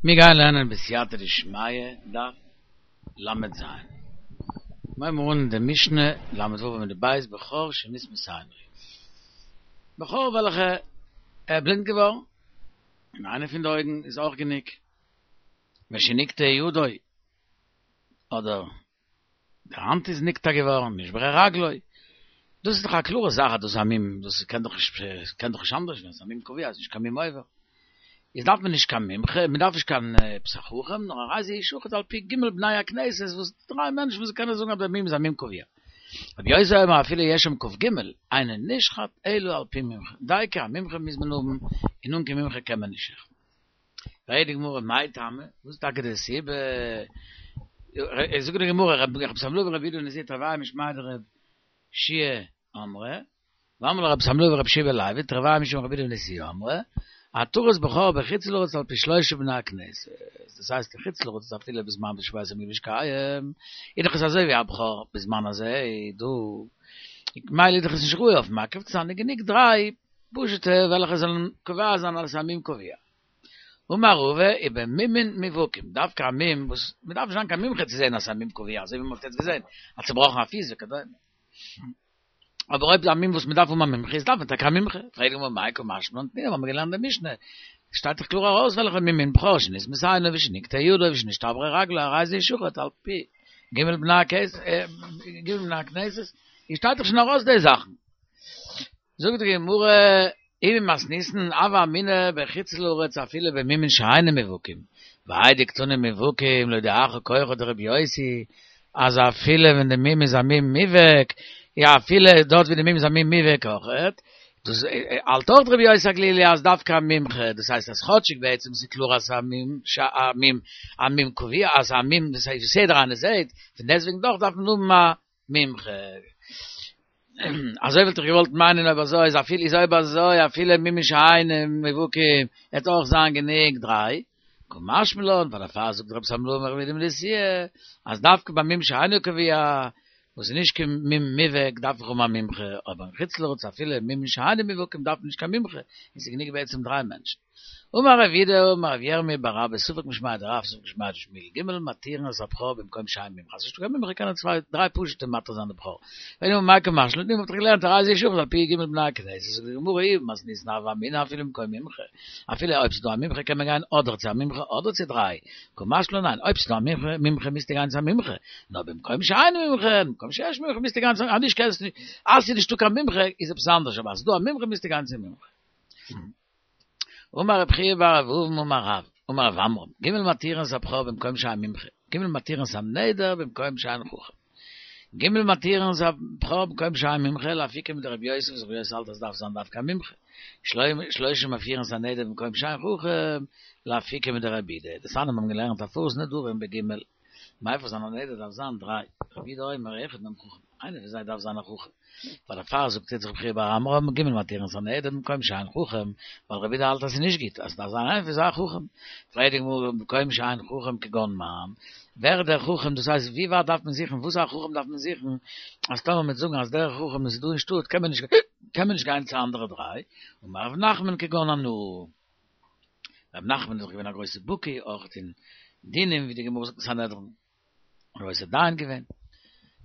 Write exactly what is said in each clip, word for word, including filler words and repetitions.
מיר גייען לערנען בסייעתא דשמיא דף ל"ז. מיר הייבן אן די משנה ל"ו עמוד ב' בכור שנסמתה עינו. בכור וועלכע ער איז בלינד געווארן, און איינע פון די אויגן איז אויך גענוג, ושנקטעה ידו, אדער די האנט איז נקטע געווארן, נשברה רגלו. דאס איז דאך א קלארע זאך אז דאס איז א מום, דאס קען דאך נישט, קען דאך נישט אנדערש ווען עס איז א מום קבוע, עס איז נישט קיין מום עובר. איז דארף מען נישט קיין מומחה, מען דארף נישט קיין עפעס א חכם, נאר הרי זה ישחט על פי ג' בני הכנסת, וואס דריי מענטשן וואס קענען זאגן אז דער מום איז א מום קבוע. רבי יוסי אומר אפילו יש שם כ"ג, אינו נשחט אלא על פי מומחה, דייקא א מומחה מוז מען האבן, און אן קיין מומחה קען מען נישט שעכטן. פרעגט די גמרא מאי טעמא, וואס איז טאקע די סיבה? זאגט די גמרא, רבי שמלאי ורבי יהודה נשיאה תרוייהו משמיה דרבי יהושע אמרי, ואמרי לה רבי שמלאי ורבי יהושע בן לוי, תרוייהו משום רבי יהודה נשיאה אמרי, התרת בכור בחוץ לארץ על פי שלושה בני הכנסת, דאס הייסט אין חוץ לארץ אפילו בזמן שבית המקדש קיים, איז דאך עס אזוי ווי א בכור בזמן הזה דא, ממילא איז דאך עס נישט ראוי אויף מקריב צו זיין, איז גענוג דריי פשוטע וועלכע זאלן קובע זיין אז עס איז א מום קבוע. אמר רבא ובמומין מובהקים, דווקא א מום וואס מען דארף נישט זיין קיין מומחה צו זען אז עס איז א מום קבוע, אזוי ווי מען האט יעצט געזען, א צובראכן א פיס וכדומה. אבער אויב א מום וואס מען דארף האבן א מומחה איז דארף מען טאקע א מומחה. פרעגט די גמרא מאי קא משמע לן תנינא, האבן מיר געלערנט די משנה, שטייט דאך קלאר ארויס וועלכע מומין בכור שנסמתה עינו ושנקטעה ידו ושנשתברה רגלו הרי זה ישחט על פי ג' בני הכנסת, איז שטייט דאך שוין ארויס די זאכן. זאגט די גמרא, אי ממתניתין הוה אמינא בחוץ לארץ אפילו במומין שאינם מובהקים, והאי דקתני מובהקים להודיעך כוחו דרבי יוסי, אז אפילו ווען די מום איז א מום מובהק, יא אפילו דארט ווי די מום איז א מום מובהק אויכעט, דאס האלט אויך רבי יוסי הגלילי אז דווקא א מומחה, דאס הייסט אז כאטשיג בעצם ס'איז קלאר אז ס'איז א מום ש א מום א מום קבוע אז א מום דאס הייסט וואס יעדער איינער זעהט, פון דעסטוועגן דאך דארף מען האבן א מומחה. אזוי וואלט איך געוואלט מיינען אויב אזוי איז אפילו איז אויב אזוי אפילו מומין שאינם מובהקים וועט אויך זיין גענוג דריי, קא משמע לן, ווייל דערפאר זאגט רבי שמלאי ורבי יהודה נשיאה אז דווקא ביי מום שאינו קבוע וואס איז נישט קיין מום מובהק דארף איך האבן א מומחה, אבער אין חוץ לארץ אפילו מומין שאינם מובהקים דארף מען נישט קיין מומחה, און ס'איז גענוג בעצם דריי מענטשן. אמר רב יהודה אמר רב ירמי' בר אבא ספק משמיה דרב ספק משמיה דשמואל ג' מתירין את הבכור במקום שאין מומחה אז ס'נישטא קיין מומחה קענען צוויי דריי פשוטע מתיר זיין די בכור פרעגט די גמרא מאי קא משמע לן תנינא מ'האט דאך געלערנט הרי זה ישחט על פי ג' בני הכנסת זאגט די גמרא אי ממתניתין הוה אמינא אפילו במקום מומחה אפילו אויב ס'דא א מומחה קען מען גיין אדער צו א מומחה אדער צו דריי קא משמע לן ניין אויב ס'דא א מומחה מומחה מוזטו גיין צו א מומחה נאר במקום שאין מומחה במקום שיש מומחה מוזטו גיין צו אז נישט קענסטו נישט אז ס'איז נישטא קיין מומחה איז עפעס אנדערש אבער אז ס'דא א מומחה מוזטו גיין צו מומחה. אמר רב חייא בר אבובין אמר רב, אמר רב עמרם, ג' מתירין את הבכור במקום שאין מומחה, ג' מתירין את הנדר במקום שאין חכם. ג' מתירין את הבכור במקום שאין מומחה, לאפוקי מדרבי יוסי וואס רבי יוסי האלט אז דארף זיין דווקא א מומחה. שלושה מפירין את הנדר במקום שאין חכם, לאפוקי מדרבי יהודה. דתניא מיר האבן געלערנט הפרת נדרים בג' מפר זיין א נדר דארף זיין דריי, רבי יהודה אומר אחד מהם חכם, איינער פון זיי דארף זיין א חכם, ווייל דערפאר זאגט יעצט רבי חייא בר עמרם ג' מתירין את הנדר במקום שאין חכם, ווייל רבי יהודה האלט אז ס'איז נישט גוט, אז ס'דארף זיין איינער פון זיי א חכם. פרעגט די גמרא במקום שאין חכם כגון מאן, ווער איז דער חכם, דאס הייסט ווי ווייט דארף מען זוכן, וואס א חכם דארף מען זוכן, אז טאמער מ'וועט זאגן אז דער חכם איז דא אין שטאט קען מען נישט קען מען נישט גיין צו אנדערע דריי, אמר רב נחמן כגון אנא. רב נחמן איז דאך געווען א גרויסע בקי אויך אין דינים ווי די גמרא זאגט אין סנהדרין, א גרויסע דיין געווען.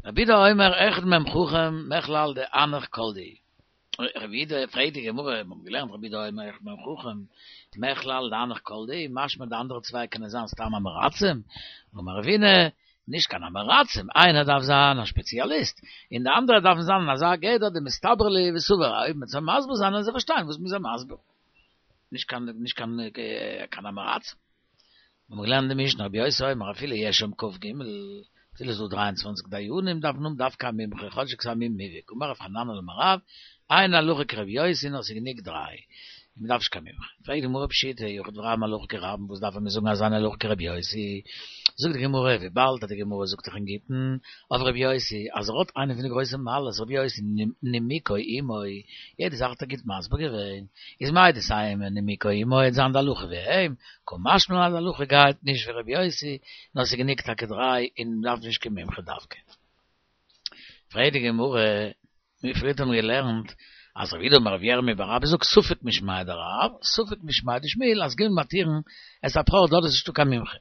רבי יהודה אומר אחד מהם חכם מכלל דהנך כל דהו. רבי יהודה פרעגט די גמרא, מיר האבן געלערנט רבי יהודה אומר אחד מהם חכם מכלל דהנך כל דהו, משמע די אנדערע צוויי קענען זיין סתם עם הארצים, אמר רבינא, נישט קיין עם הארצים, איינער דארף זיין א שפעציאליסט, און די אנדערע דארפן זיין אין אזא גדר דמסתברא להו וסבר, אויב מען זאל מסביר זיין וועלן זיי פארשטיין וואס מ'איז זיי מסביר. נישט קיין נישט קיין קיין עם הארצים. מיר האבן געלערנט די משנה רבי יוסי אומר אפילו יש שם כ"ג, אפילו ס'איז דא דרײַ און צוואַנציק דיינים דארף מען האבן דווקא א מומחה כאטשיג ס'איז א מום מובהק, אמר רב חננאל אמר רב, אין הלכה כרבי יוסי נאר ס'איז גענוג דריי, און מ'דארף נישט קיין מומחה. פרעגט די גמרא פשיטא יחיד ורבים הלכה כרבים וואס דארף ער מיר זאגן אז אין הלכה כרבי יוסי? זאגט די גמרא וויבאלד אז די גמרא זאגט דאך אין גיטין אויף רבי יוסי אז ער האט איינע פון די גרויסע מעלות רבי יוסי נימוקו עמו יעדע זאך האט ער גוט מסביר געווען איז מהו דתימא נימוקו עמו וועט זיין די הלכה ווי אים קא משמע לן אז די הלכה גייט נישט ווי רבי יוסי נאר ס'איז גענוג טאקע דריי און מ'דארף נישט קיין מומחה דווקא. פרעגט די גמרא, מיר פריערט האבן געלערנט אז רב יהודה אמר רב ירמיה בר אבא זאגט ספק משמיה דרב, ספק משמיה דשמואל, אז ג' מתירין את הבכור דארט איז נישטא קיין מומחה.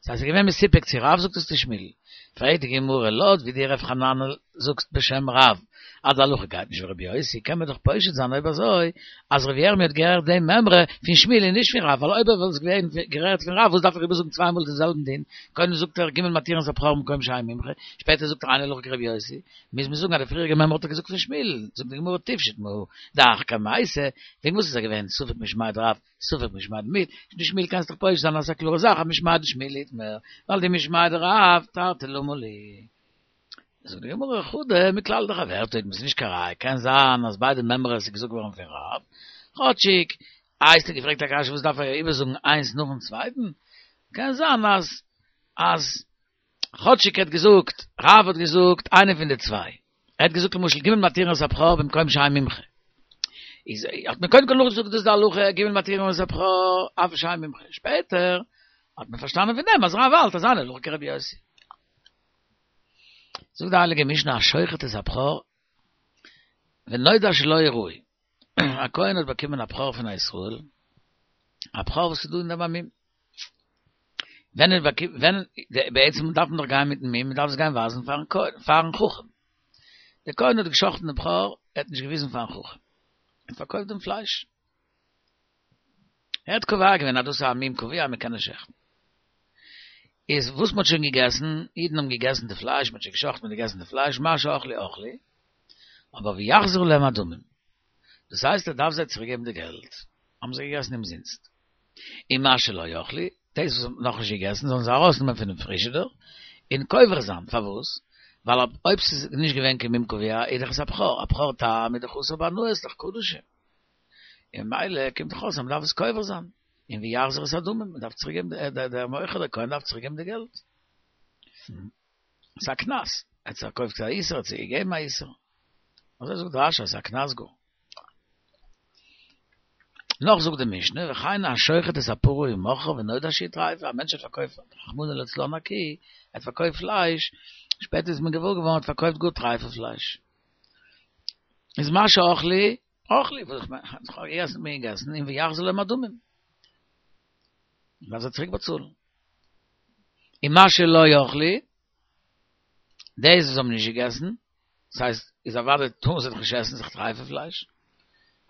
ס'הייסט ס'איז געווען מסופק צו רב זאגט עס צו שמואל. פרעגט די גמרא לויט ווי דו רב חננאל זאגסט בשם רב אז די הלכה גייט נישט ווי רבי יוסי קען מען דאך פושט זיין אויב אזוי אז רבי ירמי' האט געהערט די מימרא פון שמואל און נישט פון רב ווייל אויב ער וואלט עס געווען געהערט פון רב וואס דארף ער איבערזאגן צוויי מאל דעם זעלבן דין קודם זאגט ער ג' מתירין את הבכור במקום שאין מומחה שפעטער זאגט ער אין הלכה כרבי יוסי מוז מען זאגן אז די פריעריגע מימרא האט ער געזאגט פון שמואל זאגט די גמרא תיפשוט מהא דהך קמייתא וועגן וואס איז ער געווען ספק משמיה דרב ספק משמיה דשמואל קענסט דאך פושט זיין אז ס'איז א קלארע זאך אז משמיה דשמואל איתמר ווייל דמשמיה דרב תרתי למה לי. זאגט די גמרא חדא מכלל דחברתה איתמר ס'איז נישט קיין ראיה קען זיין אז ביידע מימרות איז געזאגט געווארן פון רב כאטשיג איי האסטו געפרעגט א קשיא וואס דארף ער איבערזאגן איינס נאכן צווייטן קען זיין אז אז כאטשיג ער האט געזאגט רב האט געזאגט איינע פון די צוויי ער האט געזאגט למשל ג' מתירין את הבכור במקום שאין מומחה איז האט מען קודם כל נאכגעזאגט דאס די הלכה ג' מתירין את הבכור אף שאין מומחה שפעטער האט מען פארשטאנען פון דעם אז רב האלט אז אין הלכה כרבי יוסי זאגט די הייליגע משנה השוחט את הבכור ונודע שלא ראוי א כהן האט באקומען א בכור פון א ישראל א בכור וואס איז דא אין דעם א מום ווען ער באקומט ווען בעצם דארף מען דאך גיין מיטן מום מען דארף עס גיין ווייזן פארן כהן פארן חכם דער כהן האט געשחט'ן דעם בכור ער האט נישט געוויזן פארן חכם ער האט פארקויפט דעם פלייש ער האט קובע געווען אז דאס איז א מום קבוע מען קען נישט שעכטן איז וואס מ'האט שוין געגעסן, אידן האבן געגעסן די פלייש, מ'האט שוין געשחט'ן מ'האט געגעסן די פלייש, מה שאכלו אכלו, אבער ויחזיר להם הדמים, דאס הייסט ער דארף זיי צוריק געבן די געלט, האבן זיי געגעסן אומזינסט, און מה שלא אכלו, דאס וואס מ'האט נאכנישט געגעסן זאלן זיי ארויסנעמען פונעם פריזשידער און קובר זיין, פארוואס? ווייל אויב ס'איז נישט געווען קיין מום קבוע איז דאך עס א בכור, א בכור תם איז דאך אסור בהנאה, איז דאך קדשים, און ממילא קומט דאך אויס אז מ'דארף עס קובר זיין. און ויחזיר את הדמים, מען דארף צוריק געבן, דער מוכר דער כהן דארף צוריק געבן די געלט. ס'איז א קנס, ער האט פארקויפט א איסור, ער האט צוריק געגעבן א איסור. אזוי זאגט רש"י, ס'איז א קנס גאר. נאך זאגט די משנה, וכן השוחט את הפרה ומכרה ונודע שהיא טריפה, א מענטש האט פארקויפט רחמנא לצלן א קי, ער האט פארקויפט פלייש, שפעטער איז מען געוואר געווארן ער האט פארקויפט גאר טרייפע פלייש. איז מה שאכלו, אכלו, וואס איך מיין, כ'האב געגעסן האט מען געגעסן, און ויחזיר להם הדמים. מ'דארף זיי צוריק באצאלן. און מה שלא אכלו, דאס וואס האבן נישט געגעסן, דאס הייסט, איז אוודאי טאר מען זיי דאך נישט עסן, ס'איז דאך טרייפע פלייש.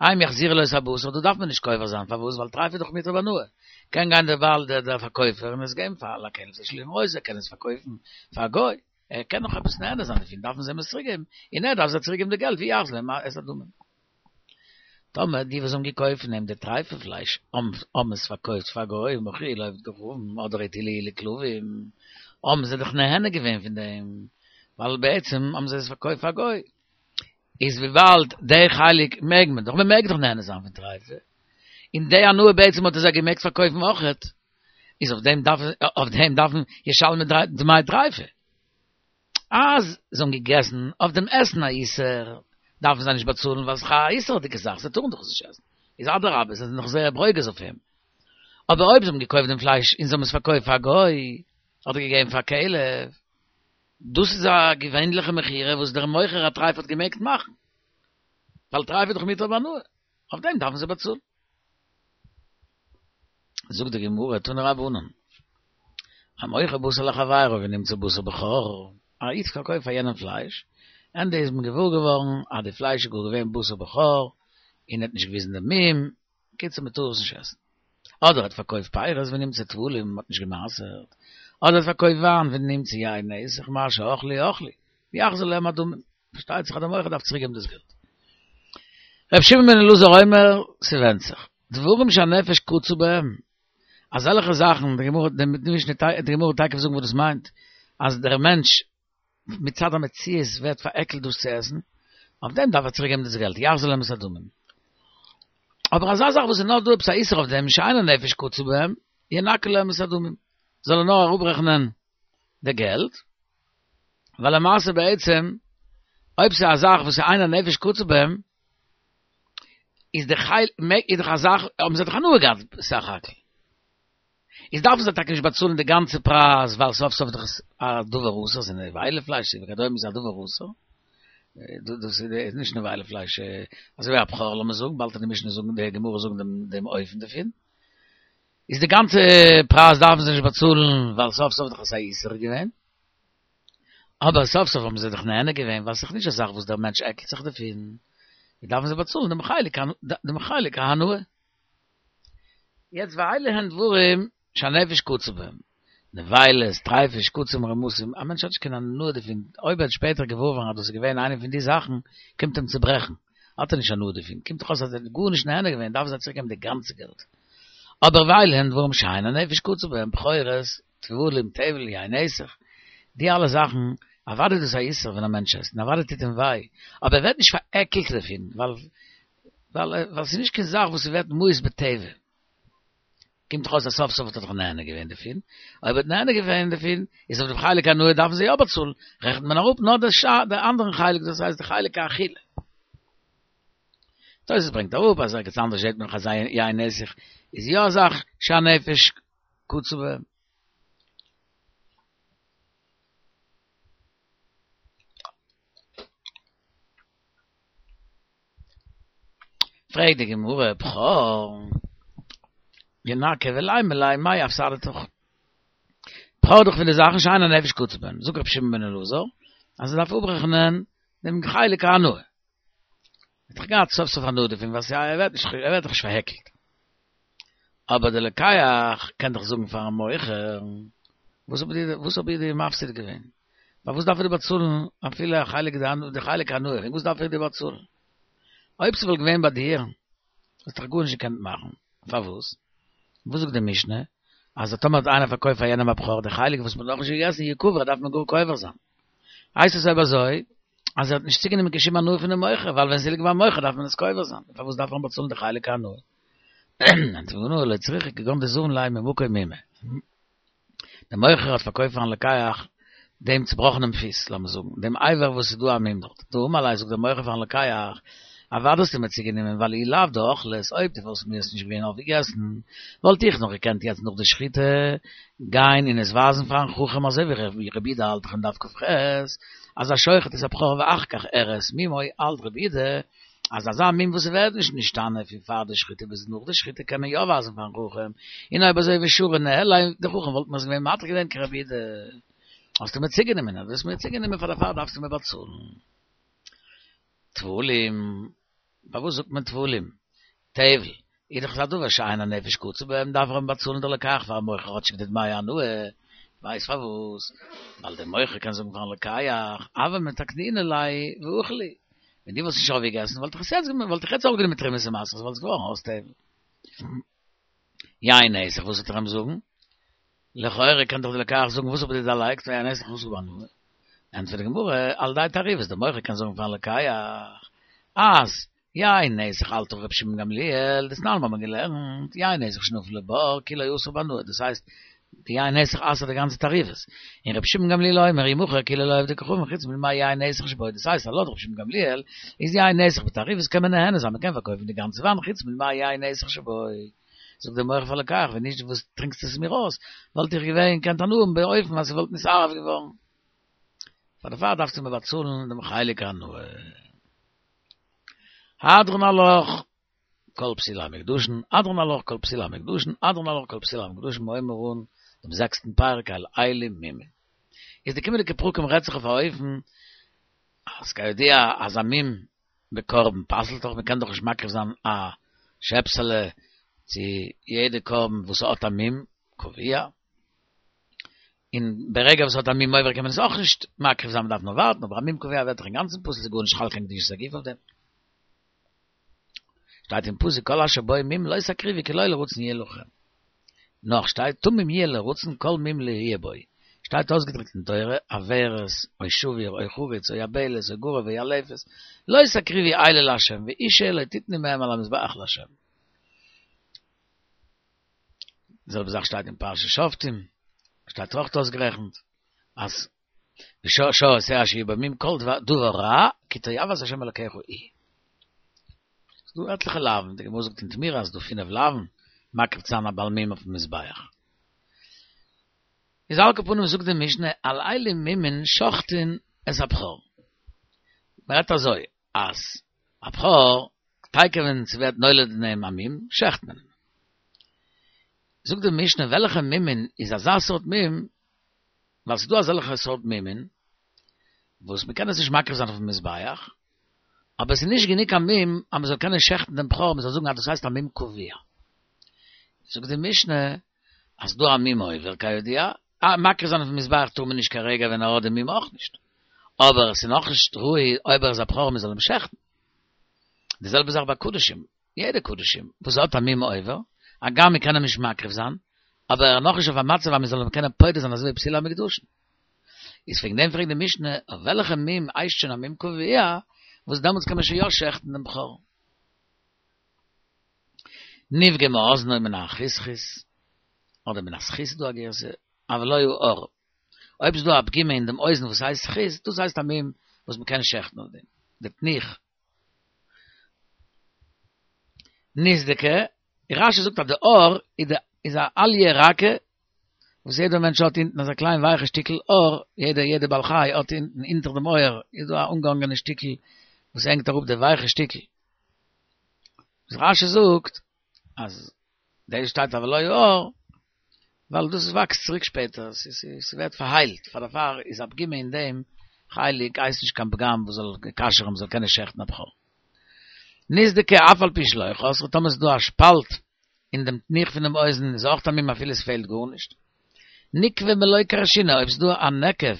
הם יחזירו לו את הבשר, דא דארף מען נישט קובר זיין, פארוואס? ווייל טרייף איז דאך מותר בהנאה. קען גיין דער בעל דער פארקויפער און עס געבן פאר לכלב תשליכון אותו, ער קען עס פארקויפן פאר א גוי. ער קען נאך עפעס נהנה זיין דערפון, דארפן זיי אים עס צוריק געבן, און ער דארף זיי צוריק געבן די געלט, ויחזיר להם את הדמים. טאמער די וואס האבן געקויפט פון אים די טרייפע פלייש האבן עס פארקויפט פאר גוים מכרוהו לעובד כוכבים אדער הטילוהו לכלבים, האבן זיי דאך נהנה געווען פון דעם, ווייל בעצם האבן זיי עס פארקויפט פאר גוי, איז וויבאלד די חלק מעג מען דאך, מען מעג דאך נהנה זיין פון טרייפע, און די הנאה בעצם האט ער זיי געמעגט פארקויפן אויכעט, איז אויף דעם דארף אויף דעם דארפן ישלמו דמי טריפה. אז זיי האבן געגעסן אויף דעם עסן א איסור, דארפן זיי נישט באצאלן ווייל ס'איז א איסור'דיגע זאך, זיי טארן דאך עס נישט עסן. איז אדרבה, זיי זענען נאך זייער ברוגז אויף אים. אבער אויב זיי האבן געקויפט דעם פלייש און זיי האבן עס פארקויפט פאר א גוי, אדער געגעבן פאר א כלב, דאס איז א געווענליכע מכירה וואס דער מוכר הטריפה האט געמעגט מאכן, ווייל טריפה איז דאך מותר בהנאה, אויף דעם דארפן זיי באצאלן. זאגט די גמרא, תנו רבנן, המוכר בשר לחבירו ונמצא בשר בכור, א איד פארקויפט פאר יענעם פלייש, ענדע איז מען געוואר געווארן אז די פלייש איז גאר געווען בשר בכור, און ער האט נישט געוויזן דעם מום, קיצור מען טאר עס נישט עסן. אדער ער האט פארקויפט פירות ונמצא טבולים, מען האט נישט גע'מעשר'ט, אדער ער האט פארקויפט וויין ונמצא יין נסך, מה שאכלו אכלו, ויחזיר להם הדמים, פארשטייט זיך אז דער מוכר דארף צוריק געבן דאס געלט. ר' שמעון בן אלעזר אומר, ס'ווענדט זיך. דברים שהנפש קצה בהם, אזעלכע זאכן, די גמרא, די משנה, די גמרא וועט תיכף זאגן וואס דאס מיינט, אז דער מענטש מצד המציאות ווערט פארעקלט דאס צו עסן, אויף דעם דארף ער צוריק געבן דאס געלט, יחזיר להם את הדמים. אבער אזא זאך וואס איז נאר דא עפעס א איסור אויף דעם, שאין הנפש קצה בהם, ינכה להם את הדמים, זאל ער נאר אראפרעכענען די געלט, ווייל למעשה בעצם, אויב ס'איז א זאך וואס איז אין הנפש קצה בהם, איז די חי איז דאך א זאך, האבן זיי דאך הנאה געהאט בסך הכל. איז דארפן זיי טאקע נישט באצאלן די גאנצע פרייז, ווייל סוף סוף איז דאך עס א דבר אסור, ס'איז נבילה פלייש וכדומה איז א דבר אסור, דאס איז נישט נבילה פלייש, אזוי ווי א בכור לאמיר זאגן, באלד וועט די משנה זאגן, די גמרא זאגן דעם דעם אופן דערפון, איז די גאנצע פרייז דארפן זיי נישט באצאלן, ווייל סוף סוף איז דאך עס א איסור געווען, אבער סוף סוף האבן זיי דאך נהנה געווען, ווייל ס'איז דאך נישט א זאך וואס דער מענטש עקלט זיך דערפון, דארפן זיי באצאלן דעם חלק דעם חלק ההנאה. יעצט ואלו הן דברים שהנפש קצה בהם, נבילות, טריפות, שקצים, רמשים, א מענטש האט נישט קיין הנאה דערפון, אויב ער האט שפעטער געוואר געווארן אז דאס איז געווען איינע פון די זאכן, קומט אים צו ברעכן, האט ער נישט הנאה דערפון, קומט דאך אויס אז ער האט גארנישט נהנה געווען, דארפן זיי צוריק געבן די גאנצע געלט. אבער ואלו הן דברים שאין הנפש קצה בהם, בכורות, טבלים, טבל, יין נסך, די אלע זאכן, אוודאי איז דאס א איסור ווען א מענטש עסט, און אוודאי טוט אים וויי, אבער ער ווערט נישט פארעקלט דערפון, ווייל ווייל ס'איז נישט קיין זאך וואס ס'ווערט מיאוס בטבע. קומט דאך אויס אז סוף סוף האט ער דאך נהנה געווען דערפון, אויב ער האט נהנה געווען דערפון, איז אויף דעם חלק הנאה דארפן זיי יא באצאלן, רעכנט מען אראפ נאר די אנדערן חלק, דאס הייסט די חלק האכילה. תוס' ברענגט אראפ אז ערגעץ אנדערש זעט מען נאך אז יין נסך איז יא א זאך שהנפש קצה בהם. פרעגט די גמרא, בכור, ינקה ולימא ליה מאי אפסדתיך? בכור איז דאך פון די זאכן שאין הנפש קצה בהן, זאגט רבי שמעון בן אלעזר אז ער דארף אפרעכענען דעם חלק ההנאה. ער האט דאך געהאט סוף סוף הנאה דערפון ווייל ער ווערט נישט ער ווערט דאך נישט פארהעקלט. אבער דער לוקח קען דאך זאגן פארן מוכר, וואס האב איך וואס האב איך דיר מפסיד געווען? פארוואס דארף איך דיר באצאלן אפילו א חלק די חלק ההנאה, וואס דארף איך דיר באצאלן? אויב ס'וואלט געווען ביי דיר, וואלסטו דאך גארנישט געקענט מאכן. פארוואס? וואס זאגט די משנה? אז טאמער האט איינער פארקויפט פאר יענעם א בכור, די חלק וואס מ'האט נאכנישט געגעסן יקבר דארף מען גאר קובר זיין. הייסט עס אויב אזוי, אז ער האט נישט צוגענומען קיין שום הנאה פונעם מוכר, ווייל ווען ס'ליגט ביים מוכר דארף מען עס קובר זיין, פארוואס דארף מען באצאלן די חלק ההנאה? ענטפערט די גמרא, לא צריכא כגון דזבין ליה ממקום מומא. דער מוכר האט פארקויפט פארן לוקח דעם צובראכענעם פיס, לאמיר זאגן, דעם אבר וואס איז דא א מום דארט. דאמר ליה זאגט דער מוכר פארן לוקח, אוודאי האסטו מיר צוגענומען, ווייל אי לאו דאכלת, אויב דו וואלסט מיר עס נישט געווען אויפגעגעסן, וואלט איך נאך געקענט יעצט נאך די שחיטה גיין און עס ווייזן פארן חכם אזוי ווי רבי יהודה האלט דאך אין דף כ"ח אז השוחט את הבכור ואחר כך הראה את מומו האלט רבי יהודה אז אזא מום וואס ס'ווערט נישט נשתנה פון פאר די שחיטה ביז נאך די שחיטה קען מען יא ווייזן פארן חכם, און אויב אזוי ושרי ניהליה די חכם וואלט מיר עס געווען מתיר געווען כרבי יהודה. האסטו מיר צוגענומען, אז דו האסט מיר צוגענומען פאר דערפאר דארפסטו מיר באצאלן. טבלים, פארוואס זאגט מען טבלים? טבל, איז דאך א דבר שאין הנפש קצה בהם, דארף ער אים באצאלן דער לוקח פארן מוכר כאטשיג די דמי הנאה, ווייסט פארוואס? ווייל דער מוכר קען זאגן פארן לוקח, הוה מתקנינא ליה ואכיל להו, ווען דו וואלסט נישט אויפגעגעסן וואלט איך עס יעצט וואלט איך יעצט אויפגענומען תרומות ומעשרות וואלט עס געווארן אויס טבל. יין נסך, וואס וועט ער אים זאגן? לכאורה קען דאך דער לוקח זאגן וואס האב איך דיר דערלייגט יין נסך אסור בהנאה? ענטפערט די גמרא, על ידי תערובת, דער מוכר קען זאגן פארן לוקח אז יין נסך האלט דאך רבי שמעון גמליאל, דתנן האבן מיר געלערנט, יין נסך שנפל לבור כולו אסור בהנאה, דאס הייסט די יין נסך אסר'ט די גאנצע תערובת, און רבי שמעון גמליאל אומר ימכר כאילו לעובדי כוכבים חוץ מדמי יין נסך שבו, דאס הייסט אז לויט רבי שמעון גמליאל איז יין נסך בתערובת קען מען נהנה זיין, מען קען פארקויפן די גאנצע וויין חוץ מדמי יין נסך שבו. זאגט דער מוכר פאר לוקח, ווען נישט וואס טרינקסט עס מיר אויס, וואלט איך געווען געקענט הנאה האבן באופן אז ס'וואלט נתערב געווארן. פאר דערפאר דארפסטו מיר באצאלן דעם חלק ההנאה. הדרן עלך כל פסולי המוקדשין, הדרן עלך כל פסולי המוקדשין, הדרן עלך כל פסולי המוקדשין, מיר הייבן אן דעם זעקסטן פרק על אלו מומין. איז די קומענדיגע פרקים רעדט זיך אויף א אופן אז כידוע אז א מום בקרבן פסל'ט דאך, מ'קען דאך נישט מקריב זיין א שעפסעלע צו יעדע קרבן וואס האט א מום קבוע, און ברגע וואס האט א מום מוברח קען מען עס אויך נישט מקריב זיין, מ'דארף נאר ווארטן, אבער א מום קבוע ווערט דאך אינגאנצן פסול, ס'איז גארנישט חל קיין קדושת הגוף אויף דעם. שטייט אין פסוק כל אשר בו מום לא תקריבו כי לא לרצון יהיה לכם. נאך שטייט תמים יהיה לרצון כל מום לא יהיה בו. שטייט אויסגעדריקט אין תורה עורת או שבור או חרוץ או יבלת או גרוב או ילפת לא תקריבו אלה לה' ואשה לא תתנו מהם על המזבח לה'. די זעלבע זאך שטייט אין פרשת שופטים, שטייט אויך אויסגערעכנט אז שור או שה אשר יהיה בו מום כל דבר רע כי תועבת ה' אלקיך היא. ס'דא עטליכע לאווין, די גמרא זאגט אין תמורה אז ס'דא פינף לאווין מקריב צו זיין א בעל מום אויפן מזבח. איז על כל פנים זאגט די משנה על אלו מומין שוחטין את הבכור. מען רעדט אזוי, אז א בכור, תיכף ווען ס'ווערט נולד אין אים א מום, שעכט מען אים. זאגט די משנה וועלכע מומין איז אזא סארט מום, ווייל ס'איז דא אזעלכע סארט מומין, וואס מ'קען עס נישט מקריב זיין אויפן מזבח, אבער עס איז נישט גענוג א מום אז מ'זאל קענען שעכטן דעם בכור, מ'זאל זאגן אז דאס הייסט א מום קבוע. זאגט די משנה אז ס'דא א מום עובר כידוע, א מקריב זיין אויפן מזבח טאר מען נישט כרגע ווען ער האט די מום אויך נישט, אבער עס איז נאכנישט ראוי אויב ער איז א בכור מ'זאל אים שעכטן. די זעלבע זאך ביי קדשים, יעדע קדשים וואס האט א מום עובר, הגם מ'קען אים נישט מקריב זיין, אבער ער איז נאכנישט אויף א מצב אז מ'זאל אים קענען פודה זיין אזוי ווי פסולי המוקדשין. איז וועגן דעם פרעגט די משנה אויף וועלכע מום הייסט שוין א מום קבוע, וואס דעמאלטס קען מען שוין יא שעכטן דעם בכור. נפגמה אזנו מן החסכיס, אדער מן הסכית איז דא א גירסא, אבל לא העור. אויב איז דא א פגימה אין דעם אוזן וואס הייסט סכית, דאס הייסט א מום וואס מען קען שעכטן אויף דעם, די תנוך. נסדקה, רשי זאגט אז די עור איז א אליה רכה, וואס יעדער מענטש האט אונטן אזא קליין ווייכע שטיקל עור, יעדע יעדע בעל חי האט אונטן אונטער דעם אויער איז דא א אנגעהאנגענע שטיקל וואס הענגט אראפ די ווייכע שטיקל. וואס רשי זאגט אז דאס שטייט אבל לא העור, ווייל דאס וואקסט צוריק שפעטער, ס'ווערט פארהיילט, פאר דערפאר איז א פגימה אין דעם חלק הייסט נישט קיין פגם וואס זאל כשר'ן מ'זאל קענען שעכטן א בכור. נסדקה אף על פי שלא חסרה, טאמער ס'איז דא א שפאלט אין דעם תנוך פונעם אוזן איז אויך א מום אפילו עס פעלט גארנישט. נקבה מלא כרשינא, אויב ס'איז דא א נקב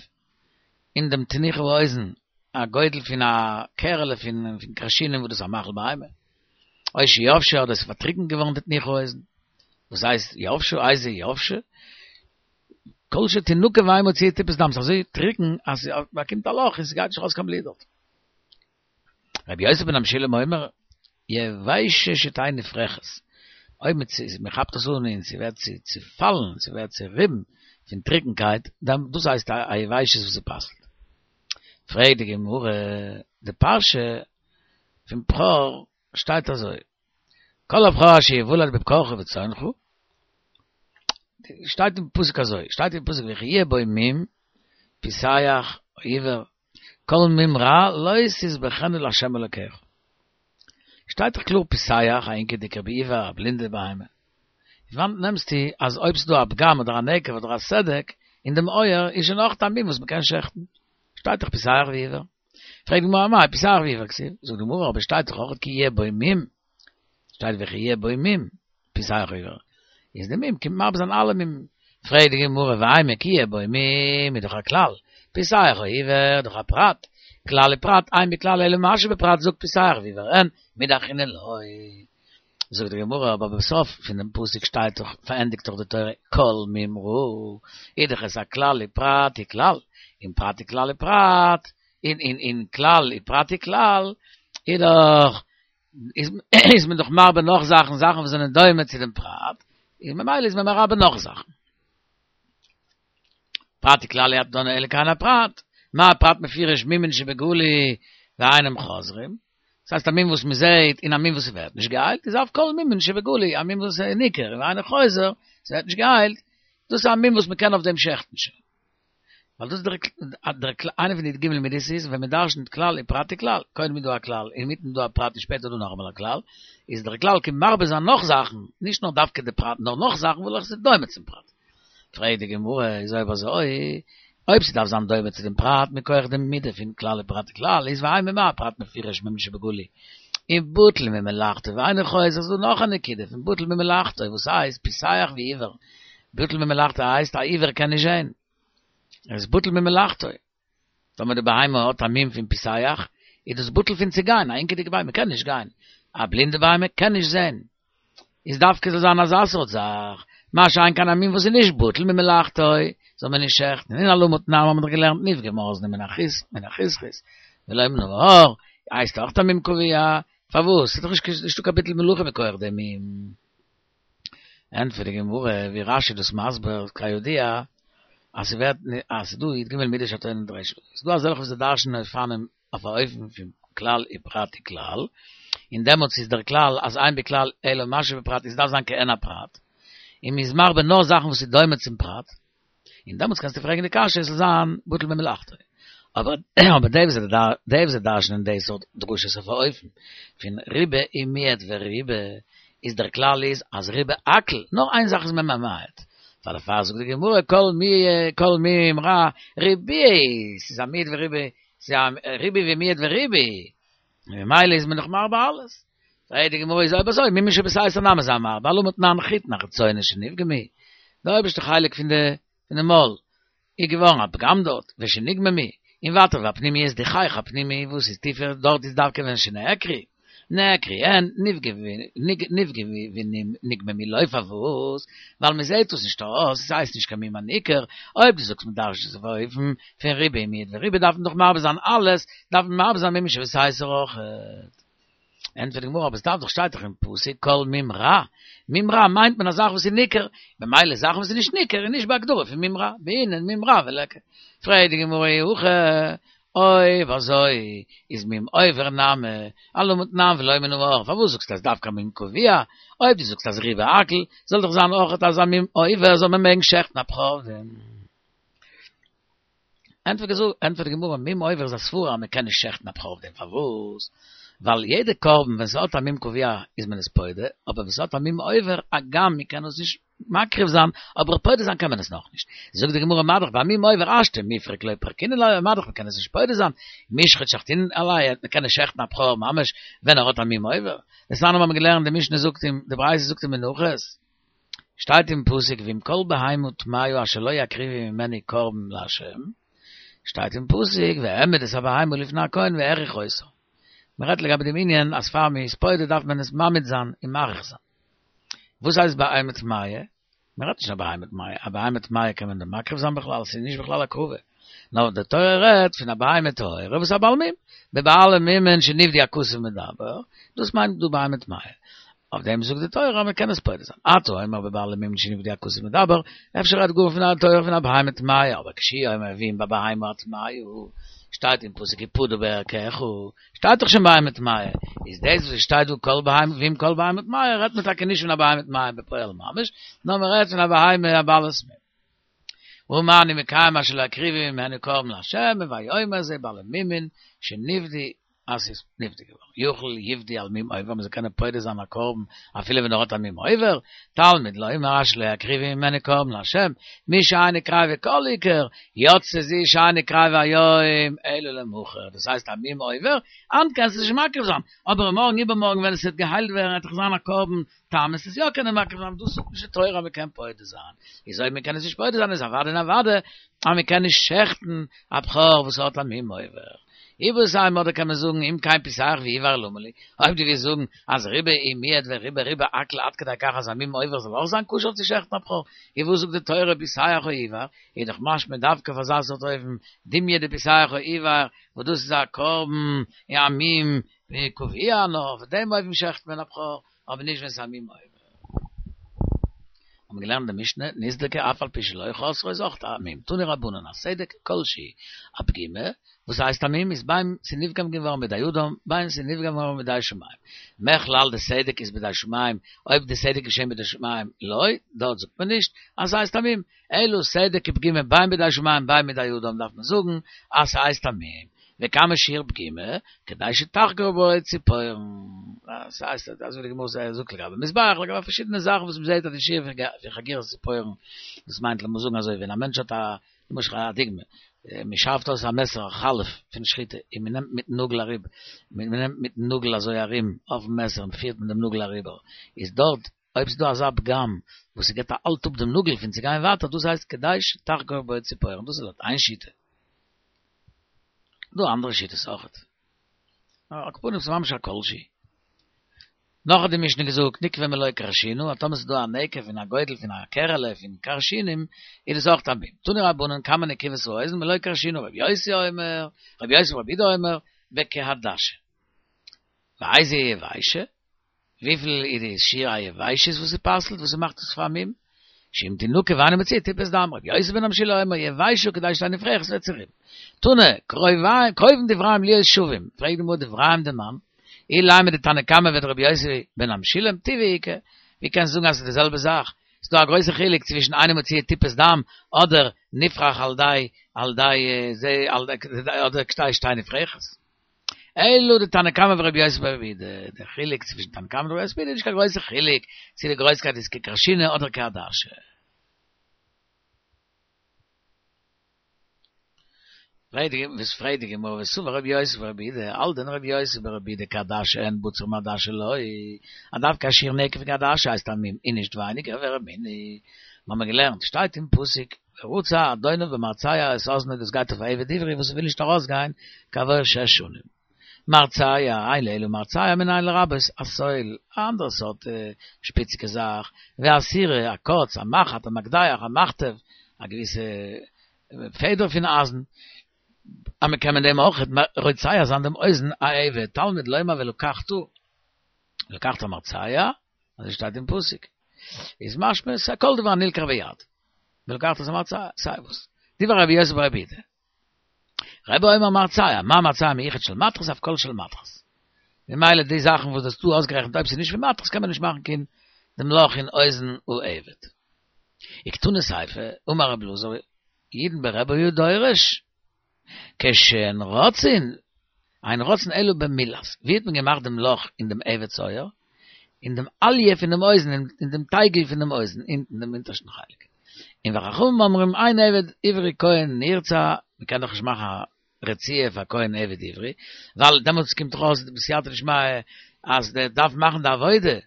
אין דעם תנוך האוזן, א גודל פון א קערעלע פון כרשינא וואס דאס איז א מאכל בהמה, או שיבשה אדער עס איז פארטריקנט געווארן די תנוך האוזן, וואס הייסט יבשה? איזה יבשה? כל שתנקב ואין מוציאה טיפת דם, ס'איז אזוי טרוקן אז ס'באקומט א לאך און ס'גייט נישט ארויס קיין בלוט דארט. רבי יוסי בן המשולם אומר, יבשה שתהא נפרכת, אויב מען כאפט עס אן און ס'ווערט צופאלן, ס'ווערט צוריבן פון טרוקנקייט, דאן דאס הייסט א יבשת וואס ס'פסל'ט. פרעגט די גמרא, די פרשה פון בכור שטייט אזוי, כל הבכור אשר יולד בבקרך ובצאנך, שטייט אין פסוק אזוי, שטייט אין פסוק וכי יהיה בו מום, פסח, עיוור, כל מום רע לא תזבחנו לה' אלוקיך. שטייט דאך קלאר פסח, א הינקעדיגער ועיוור, א בלינדע בהמה. פון וואנעט נעמסטו אז אויב ס'דא א פגם אדער א נקב אדער א סדק אין דעם אויער איז שוין אויך א מום וואס מ'קען שעכטן? שטייט דאך פסח ועיוור. פרעגט די גמרא אמאי פסח ועיוור כתיב? זאגט די גמרא אבער שטייט דאך אויך כי יהיה בו מום. שטייט וכי יהיה בו מום, פסח ועיוור. איז די מום קומט מרבה זיין אלע מומים. פרעגט די גמרא ואימא כי יהיה בו מום איז דאך א כלל, פסח או עיוור דאך א פרט, כלל ופרט אין בכלל אלא מה שבפרט זאגט פסח ועיוור אין מידי אחרינא לא. זאגט די גמרא אבער בסוף פון דעם פסוק שטייט דאך פארענדיגט דאך די תורה כל מום רע איז דאך עס א כלל ופרט וכלל און פרט וכלל ופרט און און און כלל ופרט וכלל איז דאך איז מען דאך מרבה נאך זאכן, זאכן וואס זענען דומה צו דעם פרט, און ממילא איז מען מרבה נאך זאכן. פרט וכלל אי אתה דן אלא כעין הפרט, מה הפרט מפורש מומין שבגלוי ואינם חוזרים, דאס הייסט א מום וואס מען זעט און א מום וואס ווערט נישט געהיילט, איז אף כל מומין שבגלוי, א מום וואס איז ניכר און ואינו חוזר, עס ווערט נישט געהיילט, דאס איז א מום וואס מען קען אויף דעם שעכטן שוין. ווייל דאס איז דער דער איינע פון די י"ג מידות איז ווען מען דרשנ'ט כלל ופרט וכלל, קודם איז דא א כלל, אינמיטן איז דא א פרט און שפעטער איז דא נאכאמאל א כלל, איז דער כלל קומט מרבה זיין נאך זאכן, נישט נאר דווקא די פרט נאר נאך זאכן וועלכע איז דומה צום פרט. פרעגט די גמרא, איז אויב אזוי, אויב ס'דארף זיין דומה צו דעם פרט מכח די מידה פון כלל ופרט וכלל, איז ואימא מה הפרט מפורש מומין שבגלוי, און בטל ממלאכתו ואינו חוזר, איז דא נאך א נקודה פון בטל ממלאכתו וואס הייסט פסח ועיוור, בטל ממלאכתו הייסט א עיוור קען נישט זען, ער איז בטל ממלאכתו. טאמער די בהמה האט א מום פון פסח, איז דאס בטל פון צו גיין, א הינקעדיגע בהמה קען נישט גיין, א בלינדע בהמה קען נישט זען. איז דווקא זאל זיין אזא סארט זאך, מה שאין כן א מום וואס איז נישט בטל ממלאכתו, זאל מען נישט שעכטן. און אלמה תנן האבן מיר דאך געלערנט נפגמה אזנו מן החס מן החסכיס, ולא מן העור, הייסט אויך א מום קבוע, פארוואס? ס'איז דאך נישטא קיין ביטול מלאכה מכח דעם מום. ענטפערט די גמרא ווי רש"י דאס מסביר כידוע אז ס'ווערט אז ס'דא י"ג מידות שהתורה נדרשת ס'דא אזעלכע וואס דרש'נען אופנים אויף א אופן פון כלל ופרט וכלל און דעמאלטס איז דער כלל אז אין בכלל אלא מה שבפרט איז דארף זיין כעין הפרט און מ'איז מרבה נאר זאכן וואס איז דומה צום פרט און דעמאלטס קענסטו פרעגן די קשיא עס זאל זיין בטל ממלאכתו. אבער אבער די וואס די וואס דרש'נען די סארט דרשות אויף אן אופן פון ריבה ומיעט וריבה איז דער כלל איז אז ריבה הכל, נאר איין זאך איז מען ממעט. פאר דערפאר זאגט די גמרא כל מי כל מום רע ריבוי, ס'איז א מיעוט וריבוי, ס'איז א ריבוי ומיעוט וריבוי. ממילא איז מען דאך מרבה אלעס. פרעגט די גמרא איז אויב אזוי מומין שבשייסר נמי זיי מרבה, הלא תנן חיטין החיצונה שנפגמו, די אויבערשטע חלק פון די פון די מויל איז געווארן א פגם דארט, ושנגממו, און ווייטער והפנימיות די חייך הפנימי וואס איז טיפער דארט איז דווקא ווען שנעקרו, נעקרו אין, נפגמו ונגממו לא פארוואס? ווייל מען זעהט עס נישט אויס, עס הייסט נישט קיין מום הניכר, אויב דו זאגסט מען דרש'נט עס אויף אן אופן פון ריבוי מיעוט וריבוי דארף מען דאך מרבה זיין אלעס, דארף מען מרבה זיין מומין שבסייסר אויכעט. ענטפערט די גמרא, אבער עס דארף דאך שטייט דאך אין פסוק כל מום רע, מום רע מיינט מען א זאך וואס איז ניכר, ממילא זאכן וואס איז נישט ניכר איז נישט בהגדרה פון מום רע, בעינן מום רע וליכא. פרעגט די גמרא אי הכי, אויב אזוי איז מום עובר נמי, אלמה תנן ולא מן העור, פארוואס זאגסטו אז דווקא מום קבוע? אויב דו זאגסט אז ריבה הכל, זאל דאך זיין אויכעט אז א מום עובר זאל מען מעגן שעכטן א בכור. ענטפערט די גמרא, מום עובר איז א סברא אז מען קען נישט שעכטן א בכור אויף דעם, פארוואס? ווייל יעדע קרבן ווען ס'האט א מום קבוע איז מען עס פודה, אבער ווען ס'האט א מום עובר, הגם מען קען עס נישט מקריב זיין, אבער פודה זיין קען מען עס נאכנישט. זאגט די גמרא מה דאך ביי מום עובר השתא מיפרק לא פרקינן ליה, מה דאך מען קען עס נישט פודה זיין, מישחט שחטינן עליה, מען קען נישט שעכטן א בכור ממש ווען ער האט א מום עובר. דתנן האבן מיר געלערנט די משנה זאגט אין די ברייתא זאגט אין מנחות, שטייט אין פסוק ואם כל בהמה טמאה אשר לא יקריבו ממנה קרבן לה', שטייט אין פסוק והעמיד את הבהמה לפני הכהן והעריך אותה. מען רעדט לגבי דעם ענין אז פאר מען איז פודה דארף מען עס מעמיד זיין און מעריך זיין. וואס הייסט בהמה טמאה? מען רעדט נישט א בהמה טמאה, א בהמה טמאה קען מען דען מקריב זיין בכלל, ס'איז נישט בכלל הקרבה. נאר די תורה רעדט פון א בהמה טהורה וואס איז א בעל מום, בבעלי מומין שנפדו הכתוב מדבר, דאס מיינט דא בהמה טמאה. אויף דעם זאגט די תורה אז מען קען עס פודה זיין. אתה אומר בבעלי מומין שנפדו הכתוב מדבר, אפשר רעדט גאר פון א תורה פון א בהמה טמאה, אבער כשהוא אומר ואם בבהמה הטמאה, שטייט אין פסוק ופדה בערכך, שטייט דאך שוין בהמה טמאה, איז דאס וואס שטייט דא כל בהמה ואם כל בהמה טמאה רעדט מען טאקע נישט פון א בהמה טמאה בפועל ממש, נאר מען רעדט פון א בהמה א בעלת מום. ומה אני מקיים אשר לא יקריבו ממנו קרבן לה', הוי אומר זה בעלי מומין שנפדו אז ס'איז נפדה געווארן, יכול יפדה על מום עובר, מ'זאל קענען פודה זיין א קרבן אפילו ווען ער האט א מום עובר, תלמוד לומר אשר לא יקריבו ממנו קרבן לה', מי שאינו קריבה כל עיקר, יצא זו שאינה קריבה היום אלא למחר, דאס הייסט א מום עובר, היינט קענסטו נישט מקריב זיין, אבער מארגן איבערמארגן ווען עס וועט געהיילט ווערן וועט דאך זיין א קרבן תם וועסט עס יא קענען מקריב זיין, דאס זאגט נישט די תורה אז מ'קען פודה זיין, איז אויב מ'קען עס נישט פודה זיין איז אוודאי און אוודאי אז מ'קען נישט שעכטן א בכור וואס האט א מום עובר. איבעית אימא אדער קען מען זאגן אם כן פסח ועיוור למה לי, אויב דו ווילסט זאגן אז ריבה ומיעט וריבה ריבה הכל עד כדי כך אז א מום עובר זאל אויך זיין כשר צו שעכטן א בכור, איז וואס זאגט די תורה פסח או עיוור, איז דאך משמע דווקא אויף אזא סארט אופן דומיא דפסח או עיוור וואס דאס איז א קרבן און א מום קבוע נאר אויף דעם אופן שעכט מען א בכור אבער נישט ווען ס'איז א מום עובר. האבן מיר געלערנט די משנה, נסדקה אף על פי שלא חסרה איז אויך א מום, תנו רבנן, הסדק כל שהוא, א פגימה, וואס הייסט א מום, איז בין ס'נפגם געווארן בידי אדם, בין ס'נפגם געווארן בידי שמים. מכלל דסדק איז בידי שמים, אויב די סדק איז געשען בידי שמים, לא, דארט זאגט מען נישט אז ס'הייסט א מום, אלא סדק ופגימה בין בידי שמים בין בידי אדם דארף מען זאגן אז ס'הייסט א מום. וכמה שיעור פגימה, כדי שתחגור בו ציפורן. דאס הייסט אזוי ווי די גמרא זאגט לגבי מזבח, לגבי פארשידענע זאכן וואס מ'זעט אז די שיעור פון חגירת ציפורן, דאס מיינט לאמיר זאגן אזוי ווען א מענטש האט א, למשל א דוגמא, מ'שארפט אויס א מעסער א חלף פון שחיטה און מ'נעמט מיטן נאגל אריבער, מ'נעמט מיטן נאגל אזוי ארום אויפן מעסער און מ'פירט מיט דעם נאגל אריבער, איז דארט אויב ס'איז דא אזא פגם וואס ס'געבט א האלט אפ דעם נאגל פון צו גיין ווייטער, דאס הייסט כדי שתחגור בו ציפורן, דאס איז לויט איין שיטה. דא אנדערע שיטות אויכעט. על כל פנים ס'איז ממש א כל שהוא. נאך האט די משנה געזאגט נקבה מלא כרשינו, אז טאמער ס'איז דא א נקב פון א גודל פון א קערעלע פון כרשינים, איז דאס אויכט א מום. תנו רבנן כמה נקיבות האוזן מלא כרשינו, רבי יוסי אומר, רבי יוסי ברבי יהודה אומר, בכעדשה. ואיזו היא יבשה? וויפיל איז די שיעור היבשות וואס ס'פסל'ט וואס ס'מאכט עס פאר א מום? שאם תנקב ואינה מצויה טיפת דם, רבי יוסי בן הבשילא אומר יבשה כדי שתהא נפרכת ס'ווערט צוריבן. תנא, קרובין דבריהם להיות שווים, פרעגט די גמרא דבריהם דמאן, אילימא דתנא קמא ודרבי יוסי בן המשולם, טבעא איכא, ווי קענסטו זאגן אז ס'איז די זעלבע זאך? ס'דא א גרויסע חילוק צווישן אינו מוציא טיפת דם אדער נפרך על ידי על ידי זה על אדער כדי שתהא נפרכת. אלא דתנא קמא ורבי יוסי ברבי יהודה, דער חילוק צווישן תנא קמא און רבי יוסי ברבי יהודה איז נישט קיין גרויסע חילוק צו די גרויסקייט איז ככרשינא אדער כעדשה. וואס פרעגט די גמרא וסבר רבי יוסי ברבי יהודה, האלט דען רבי יוסי ברבי יהודה כעדשה אין בוצר מעדשה לא, אז דווקא א שיעור נקב פון כעדשה הייסט א מום און נישט ווייניגער ורמינהי, מיר האבן געלערנט שטייט אין פסוק ורצע אדוניו במרצע את אזנו דאס גייט אויף א עבד עברי וואס וויל נישט ארויסגיין כעבור שש שנים. מרצע, אין לי אלא מרצע מנין לרבות הסול, א אנדערע סארט שפיציגע זאך, והסירה, א קוץ, א מחט, א מקדח, א מחטב, א געוויסע פעדער פון אייזן, אז מען קען מיט דעם אויך רוצע זיין דעם אוזן א עבד, תלמוד לומר ולקחת, ולקחת מרצע, אזוי שטייט אין פסוק, איז משמע ס'איז כל דבר הנלקח ביד, ולקחת את המרצע, סיי וואס. דברי רבי יוסי ברבי יהודה. רבי אומר מרצע, מה מרצע מיוחד של מתכת אף כל של מתכת. ממילא די זאכן וואס האסטו אויסגערעכנט אויב ס'איז נישט פון מתכת קען מען נישט מאכן קיין דעם לאך אין אוזן העבד. וקתני סיפא, אמר רבי אלעזר, אידן ברבי היה דורש, כשהן רוצין, אין רוצין אלא במילת, ווי האט מען געמאכט דעם לאך אין דעם עבד'ס אויער? אין דעם אליה פון דעם אוזן, אין דעם טייגל פון דעם אוזן, אונטן דעם אונטערשטן חלק. און וחכמים אומרים אין עבד עברי כהן נרצע, מען קען דאך נישט מאכן א רציעה פאר כהן עבד עברי, ווייל דעמאלטס קומט דאך אויס בסייעתא דשמיא אז דער דארף מאכן די עבודה,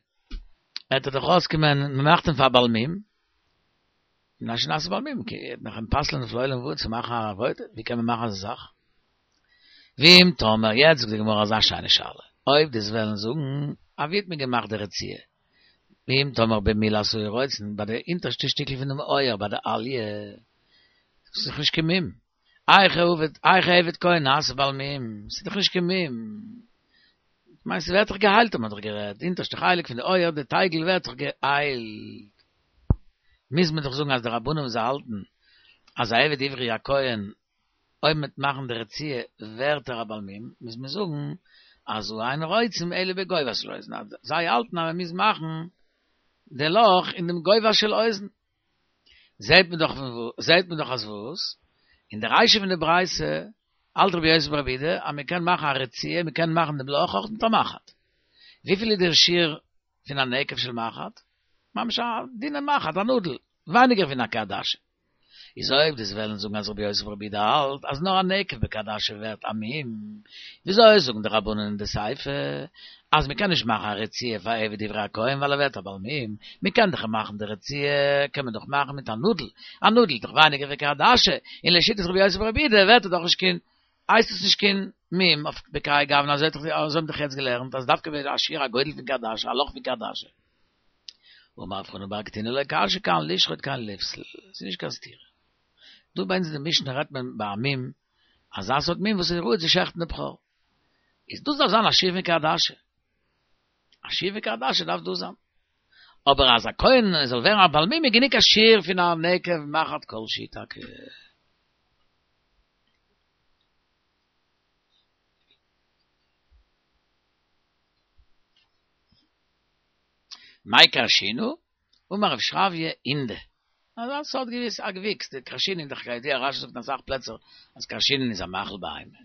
וועט ער דאך אויסקומען מען מאכט אים פאר א בעל מום, מפני שנעשה בעל מום, כי וועט מען אים פסל'ען אויף לעולם ועד צו מאכן א עבודה, ווי קען מען מאכן אזא זאך? ואם תאמר, יעצט זאגט די גמרא אזא שיינע שאלה, אויב דו'סט וועלן זאגן, א ווי האט מען געמאכט די רציעה? ואם תאמר במילת היו רוצין, ביי די אונטערשטע שטיקל פונעם אויער ביי די אליה, ס'איז דאך נישט קיין מום, היאך עבד, היאך עבד כהן נעשה בעל מום, ס'איז דאך נישט קיין מום, כ'מיין ס'ווערט דאך געהיילט האט מען דאך גערעדט, די אונטערשטע חלק פון די אויער, די טייגל ווערט דאך געהיילט. מוז מען דאך זאגן אז די רבנן וואס זיי האלטן אז א עבד עברי א כהן אויב מ'וועט מאכן די רציעה ווערט ער א בעל מום, מוז מען זאגן אז הא אין רוצים אלא בגובה של אוזן, אז זיי האלטן אז מ'מוז מאכן די לאך אין דעם גובה של אוזן. זעהט מען דאך זעהט מען דאך אז וואס? אין די רישא פון די ברייתא האלט רבי יוסי ברבי יהודה אז מ'קען מאכן א רציעה, מ'קען מאכן דעם לאך אויך מיט א מחט. וויפיל איז דער שיעור פון א נקב של מחט? ממש א דינע מחט, א נאדל, ווייניגער פון א כעדשה. איז אויב דו'סט וועלן זאגן אז רבי יוסי ברבי יהודה האלט אז נאר א נקב בכעדשה ווערט א מום, וויאזוי זאגן די רבנן אין די סיפא אז מ'קען נישט מאכן א רציעה פאר עבד עברי א כהן ווייל ער ווערט א בעל מום, מ'קען דאך מאכן די רציעה קען מען דאך מאכן מיט א נאדל, א נאדל איז דאך ווייניגער ווי כעדשה, און לשיטת רבי יוסי ברבי יהודה ווערט ער דאך נישט קיין הייסט עס נישט קיין מום אויף בכהאי גוונא אזוי האט אזוי האבן דאך יעצט געלערנט אז דווקא ווען א שיעור הגודל פון כעדשה א לאך פון כעדשה. אמר רב חנן בר קטינא לא קשיא כאן לשחוט כאן לפסול, ס'איז נישט קיין סתירה. דא ביי אונז אין די משנה רעדט מען ביי א מום, אזא סארט מום וואס איז ראוי צו שעכטן די בכור. איז דאס דארף זיין א שיעור פון כעדשה. א שיעור פון כעדשה דארף דאס זיין. אבער אז א כהן זאל ווערן א בעל מום איז גענוג א שיעור פון א נקב מחט כל שהוא טאקע. מאי כרשינא? אמר רב שרביא הינדא. אזא סארט געוויס א געוויקס, די כרשינין דאך כידוע רשי זאגט אין אסאך פלעצער אז כרשינין איז א מאכל בהמה.